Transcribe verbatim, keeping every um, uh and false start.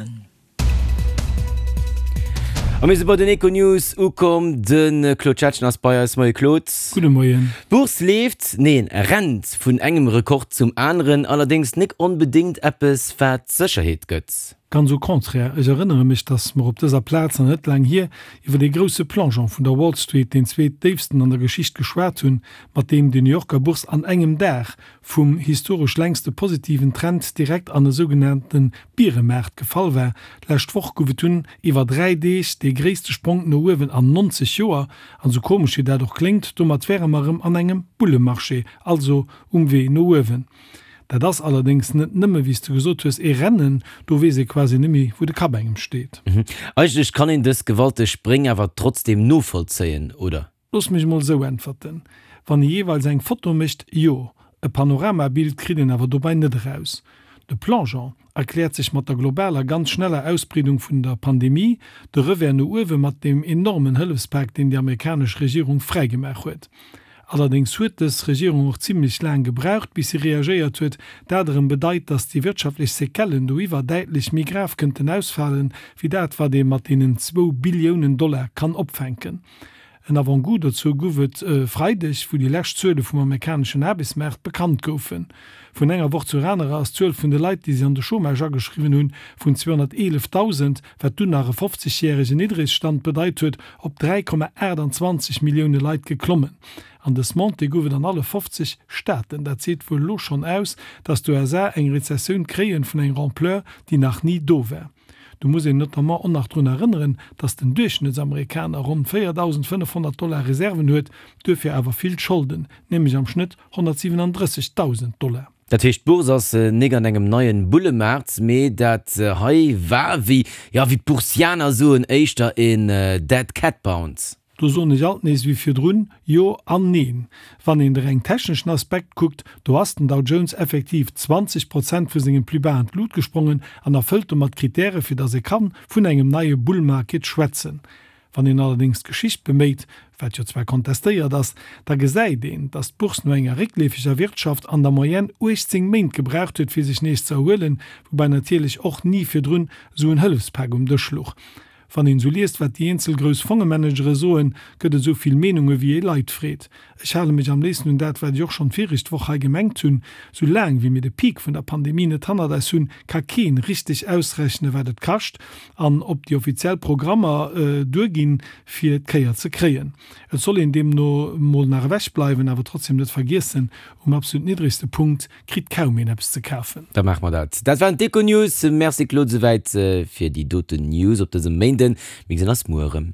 Liewen. A mir si bei den Econews ukomm. De Claude Schettgen ass bei eis. Moie Claude. Gudde Moien. D'Bourse leeft, neen, rennt vun engem Rekord zum aneren, allerdéngs nik onbedéngt eppes wat Sécherheet gëtt. Ganz au contraire, ech erënnere mech, dass mer op dëser Plaz, nach net laang hier, iwwer dee grousse Plongeon vun der Wall Street, deen zweetdéifsten an der Geschicht, geschwat hunn, mat deem déi New Yorker Bourse an engem Dag vum historesch längste positiven Trend direkt an e sougenannte Bieremaart gefall war. D'lescht Woch gouf et dunn iwwer dräi Deeg dee gréisste Spronk no uewen an nonzeg Joer. An esou komesch wéi dat och kléngt, domat wäre mer erëm an engem Bullemarché, also um Wee no uewen. Dat ass allerdéngs net nëmme, wéi s de gesot hues, ee Rennen, do weess ee quasi net méi, wou de Kapp engem steet. Eigentlech kann een dës gewalteg Spréng awer trotzdeem novollzéien, oder? Looss mech emol esou äntwerten, Wann ee jeeweils eng Foto mécht, jo. E Panoramabild kritt een awer dobäi net eraus. De Plongeon erkläert sech mat der globaler, ganz schneller Ausbreedung vun der Pandemie, de Revers no uewe mat deem enormen Hëllefspak, deen déi amerikanesch Regierung fräigemaach huet. Allerdéngs huet dës Regierung och zimlech laang gebraucht, bis si reagéiert huet. Dat erëm bedeit, datt déi wirtschaftlech Sequellen doiwwer däitlech méi grav kënnten ausfalen, wéi dat, wat ee mat deenen zwou Billiounen Dollar kann opfänken. En Avant-goût dozou gouf et e Freideg, wou déi lescht Zuele vum amerikaneschen Aarbechtsmaart bekannt goufen. Vun enger Woch zur anerer ass d'Zuel vun de Leit, déi sech an de Chômage ageschriwwen hunn, vun zweehonnerteelefdausend, wat dunn nach e fofzegjäregen Niddregstand bedeit huet, op dräi Komma aachtanzwanzeg Millioune Leit geklommen. An dës Montée gouf et an alle fofzeg Staaten. Dat seet wuel elo schonn aus, datt d'USA eng Rezessioun kréien vun enger Ampleur, déi nach ni do war. Do muss een notamment och nach drun erënneren, datt den Duerchschnëttsamerikaner ronn véierdausendfënnefhonnert Dollar Reserven huet, duerfir awer vill Scholden, nämlech am Schnëtt honnertsiwenandrëssegdausend Dollar. Dat heescht, d'Bourse ass nik an engem neien Bullemaart, mee dat hei war, wéi, jo, wéi d'Boursianer soen, éischter een Dead Cat Bounce. Do soen ech alt nees wéi virdrun, Jo an Neen. Wann een de reng techneschen Aspekt kuckt, do ass den Dow Jones effektiv zwanzeg Prozent vu sengem Plus bas an d'Lut gesprongen an erfëllt domat d'Kritäre fir datt ee kann vun engem neie Bull Market schwätzen. Wann een allerdéngs d'Geschicht beméit, wat jo zwar kontestéiert ass, da gesäit een, datt d'Bourse no enger réckleefeger Wirtschaft an der Moyenne uechtzéng Méint gebraucht huet fir sech nees ze erhuelen, woubäi natierlech och ni virdrun esou en Hëllefspak um Dësch luch. Wann een esou liest, wat déi eenzel grouss Fongemanagere soen, gëtt et esou vill Meenunge wéi ee Leit freet. Ech hale mech am léifsten un dat, wat ech och schonn d'viregt Woch hei gemengt hunn, Sou laang wéi mir de Peak vun der Pandemie net hannert eis hunn, ka keen richteg ausrechnen, wat et kascht an ob déi offiziell Programmer duerginn, fir d'Kéier ze kréien. Et soll een deemno mol nach ewech bleiwen, awer trotzdem net vergiessen, Um absolut niddregste Punkt kritt kaum een eppes ze kafen. Da maache mer dat. Dat waren d'Econews. Merci Claude souwäit fir déi doten News op dësem Méinden. Mir gesinn eis muer erëm.